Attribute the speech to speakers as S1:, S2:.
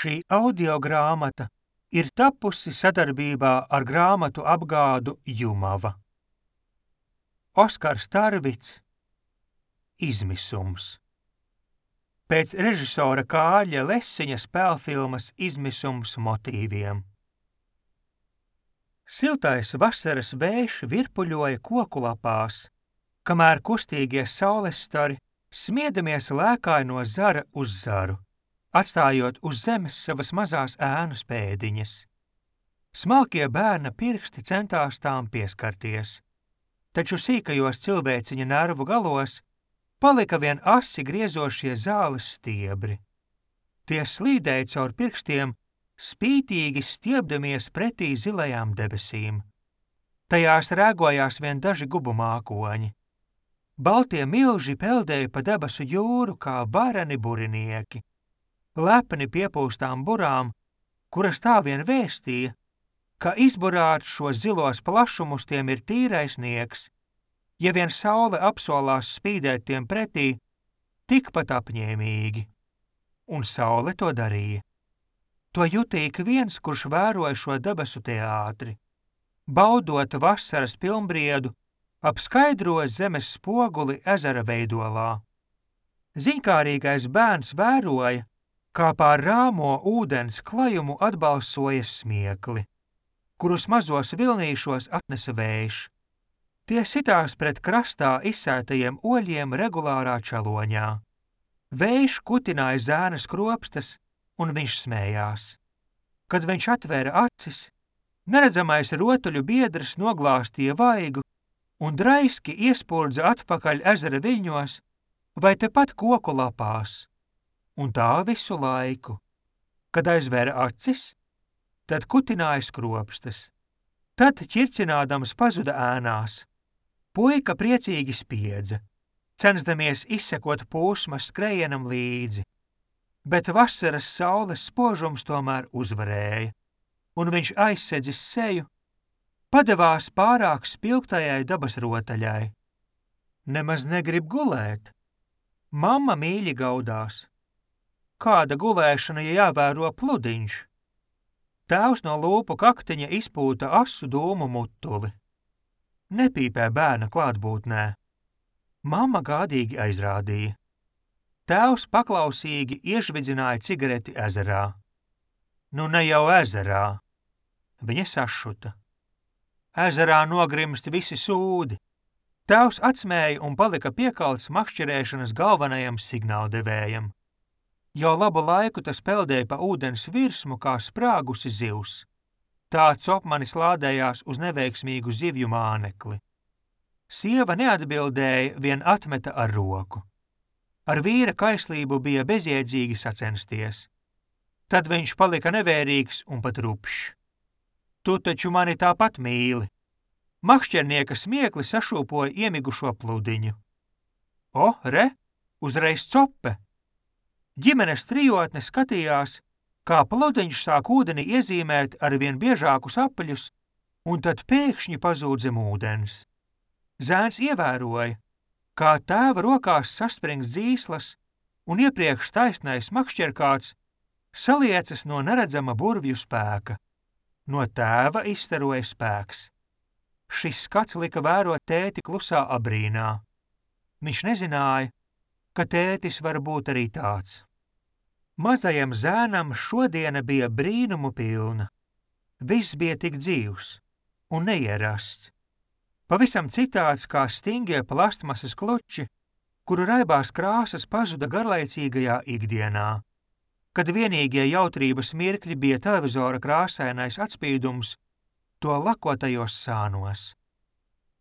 S1: Šī audiogrāmata ir tapusi sadarbībā ar grāmatu apgādu Jumava. Oskars Tarvits Izmisums. Pēc režisora Kārļa Lesiņa spēlfilmas Izmisums motīviem. Siltais vasaras vējš virpuļoja koku lapās, kamēr kustīgie saulesstari smiedamies lēkāja no zara uz zaru, atstājot uz zemes savas mazās ēnu pēdiņas. Smalkie bērna pirksti centās tām pieskarties, taču sīkajos cilvēciņa nervu galos palika vien asi griezošie zāles stiebri. Tie slīdēja caur pirkstiem, spītīgi stiebdamies pretī zilajām debesīm. Tajās rēgojās vien daži gubu mākoņi. Baltie milži peldēja pa debesu jūru kā vareni burinieki, lepni piepūstām burām, kuras tā vien vēstīja, ka izburāt šos zilos plašumus tiem ir tīrais sniegs, ja vien saule apsolās spīdēt tiem pretī tikpat apņēmīgi. Un saule to darīja. To jutīja ik viens, kurš vēroja šo debesu teātri. Baudot vasaras pilnbriedu, ap skaidro zemes spoguli ezera veidolā. Ziņkārīgais bērns vēroja, kā pār rāmo ūdens klajumu atbalsojas smiekli, kurus mazos vilnīšos atnesa vējš. Tie sitās pret krastā izsētajiem oļiem regulārā čaloņā. Vējš kutināja zēnas kropstas, un viņš smējās. Kad viņš atvēra acis, neredzamais rotuļu biedrs noglāstīja vaigu un draiski iespurdza atpakaļ ezera viļņos vai tepat koku lapās. Un tā visu laiku. Kad aizvēra acis, tad kutināja skropstas. Tad ķircinādams pazuda ēnās. Puika priecīgi spiedza, censdamies izsekot pūsmas skrejienam līdzi. Bet vasaras saules spožums tomēr uzvarēja, un viņš aizsedzis seju, padevās pārāk spilgtajai dabas rotaļai. Nemaz negrib gulēt. Mamma mīļi gaudās. Kāda gulēšana, ja jāvēro pludiņš? Tēvs no lūpu kaktiņa izpūta asu dūmu mutuli. Nepīpē bērna klātbūtnē. Mamma gādīgi aizrādīja. Tēvs paklausīgi iežvidzināja cigareti ezerā. Nu ne jau ezerā. Viņa sašuta. Ezerā nogrimst visi sūdi. Tēvs atsmēja un palika piekalts makšķerēšanas galvenajam signāldevējam. Jau labu laiku tas peldēja pa ūdens virsmu kā sprāgusi zivs. Tāds opmanis lādējās uz neveiksmīgu zivju mānekli. Sieva neatbildēja, vien atmeta ar roku. Ar vīra kaislību bija bezjēdzīgi sacensties. Tad viņš palika nevērīgs un pat rupšs. Tu taču mani tāpat mīli. Makšķernieka smiekli sašūpoja iemigušo pludiņu. O, re, uzreiz cope! Ģimenes trijotne skatījās, kā pludiņš sāk ūdeni iezīmēt ar vien biežākus apaļus, un tad pēkšņi pazūd zem ūdens. Zēns ievēroja, kā tēva rokās saspringts dzīslas un iepriekš taisnais makšķerkāts saliecas no neredzama burvju spēka. No tēva izstaroja spēks. Šis skats lika vērot tēti klusā abrīnā. Viņš nezināja, ka tētis var būt arī tāds. Mazajam zēnam šodiena bija brīnumu pilna. Viss bija tik dzīvs un neierasts. Pavisam citāds kā stingie plastmasas kluči, kuru raibās krāsas pazuda garlaicīgajā ikdienā, kad vienīgie jautrības mirkļi bija televizora krāsainais atspīdums to lakotajos sānos.